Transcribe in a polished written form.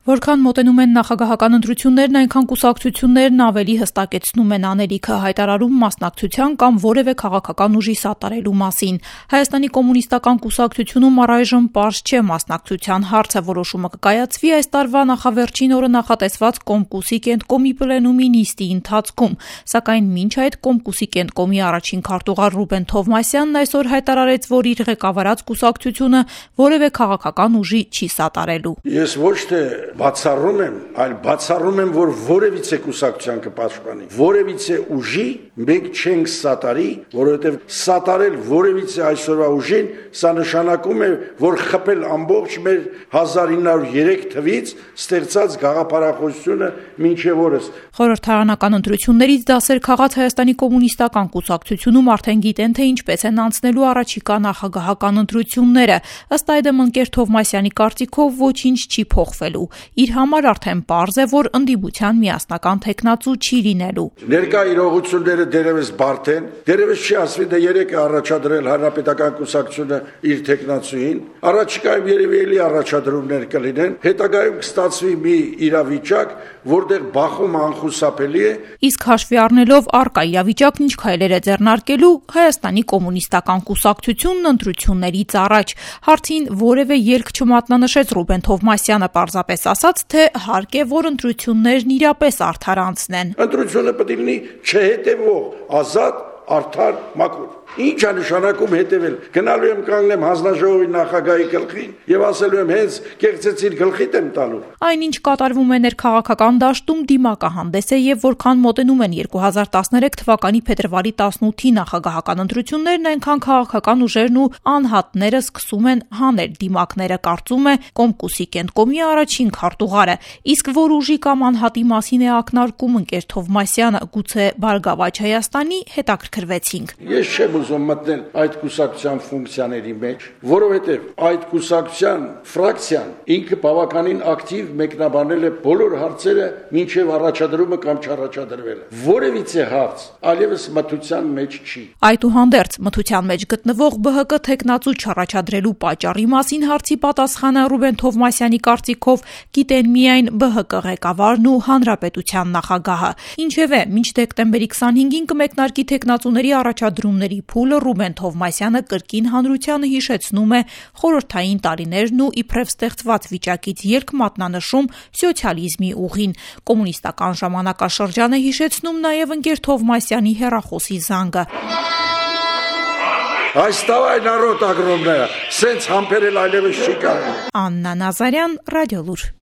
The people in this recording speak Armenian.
Որքան մոտենում են նախագահական ընտրություններն, այնքան կուսակցություններն ավելի հստակեցնում են անելիքը, հայտարարում մասնակցության կամ որևէ քաղաքական ուժի սատարելու մասին։ Հայաստանի կոմունիստական կուսակցությունում առայժմ պարզ չէ մասնակցության հարցը, որոշումը կկայացվի այս տարվա նախավերջին օրը նախատեսված Կոմկուսի կենտկոմի պլենումի նիստի ընթացքում, սակայն մինչ այդ Կոմկուսի կենտկոմի առաջին քարտուղար Ռուբեն Թովմասյանն այսօր հայտարարեց, որ իր ղեկավարած կուսակցությունը որևէ քաղաքական ուժի չի սատարելու։ Ես ոչ թե բացառում եմ, այլ բացառում եմ, որ որևիցե կուսակցության կպաշտպանի, որևիցե ուժի մենք չենք սատարի, որովհետև սատարել որևիցե այսօրվա ուժին, սա նշանակում է, որ խփել ամբողջ մեր 1903 թվից ստեղծած գաղափարախոսությունը մինչև օրս։ Խորհրդարանական ընտրություններից դասեր քաղած Հայաստանի կոմունիստական կուսակցությունում արդեն գիտեն, թե ինչպես են անցնելու առաջիկա նախագահական ընտրությունները։ Ըստ այդմ ընկեր Թովմասյանի կարծիքով ոչինչ չի փոխվելու։ Իր համար արդեն պարզ է, որ ընդդիմության միասնական թեկնածու չի լինելու։ Ներկա իրողությունները դերևս բարդ են, դերևս չի ասվի դա երեք է առաջադրել Հանրապետական կուսակցությունը իր թեկնածուին, առաջիկայում երևի էլի առաջադրումներ կլինեն, հետագայում կստացվի մի իրավիճակ, որտեղ բախումը անխուսափելի է։ Իսկ հաշվի առնելով առկա իրավիճակն ինչ քայլեր է ձեռնարկելու Հայաստանի կոմունիստական կուսակցությունն ընտրություններից առաջ։ Հարցին որևէ ելք չմատնանշեց Ռուբեն Թովմասյանը, պարզապես ասաց, թե հարկ է, որ ընտրություններն իրապես արդարանցնեն։ Ընտրությունը պետք է լինի չհետևող, ազատ, արդար, մաքուր։ Ինչ է նշանակում հետևել։ Գնալու եմ կանգնեմ հանձնաժողովի նախագահի գլխին եւ ասելու եմ հենց կեղծեցիր գլխիդ եմ տալու։ Այնինչ կատարվում է ներքաղաքական դաշտում դիմակահանդես է եւ որքան մոտենում են 2013 թվականի փետրվարի 18-ի նախագահական ընտրություններն, այնքան քաղաքական ուժերն ու անհատները սկսում են հանել դիմակները, կարծում է Կոմկուսի կենտկոմի առաջին քարտուղարը։ Իսկ որ ուժի կամ անհատի մասին է ակնարկում ընկեր Թովմասյանը, գուցե Բարգավաճ Հայաստանի, հետաքրքրվեցինք։ Ես չեմ ուզում մտնել այդ կուսակցության ֆունկցիաների մեջ, որովհետև այդ կուսակցության ֆրակցիան ինքը բավականին ակտիվ մեկնաբանել է բոլոր հարցերը մինչև առաջադրումը կամ չառաջադրվելը։ Որևիցե հարց այլևս մթության մեջ չի։ Այդուհանդերձ մթության մեջ գտնվող ԲՀԿ թեկնածու չառաջադրելու պատճառի մասին հարցի պատասխանը Ռուբեն Թովմասյանի կարծիքով գիտեն միայն ԲՀԿ ղեկավարն ու Հանրապետության նախագահը։ Ինչևէ, մինչ դեկտեմբերի 25-ին կմեկնարկի թեկնածուների առաջադրումների փուլը, Ռուբեն Թովմասյանը կրկին հանրությանը հիշեցնում է խորհրդային տարիներն ու իբրև ստեղծված վիճակից ելք մատնանշում սոցիալիզմի ուղին։ Կոմունիստական ժամանակաշրջան է հիշեցնում նաև ընկեր Թովմասյանի հեռախոսի զանգը։ Այստեղ народ огромная, սենց համբերել այլևս չի կարող։ Աննա Նազարյան, Ռադիոլուր։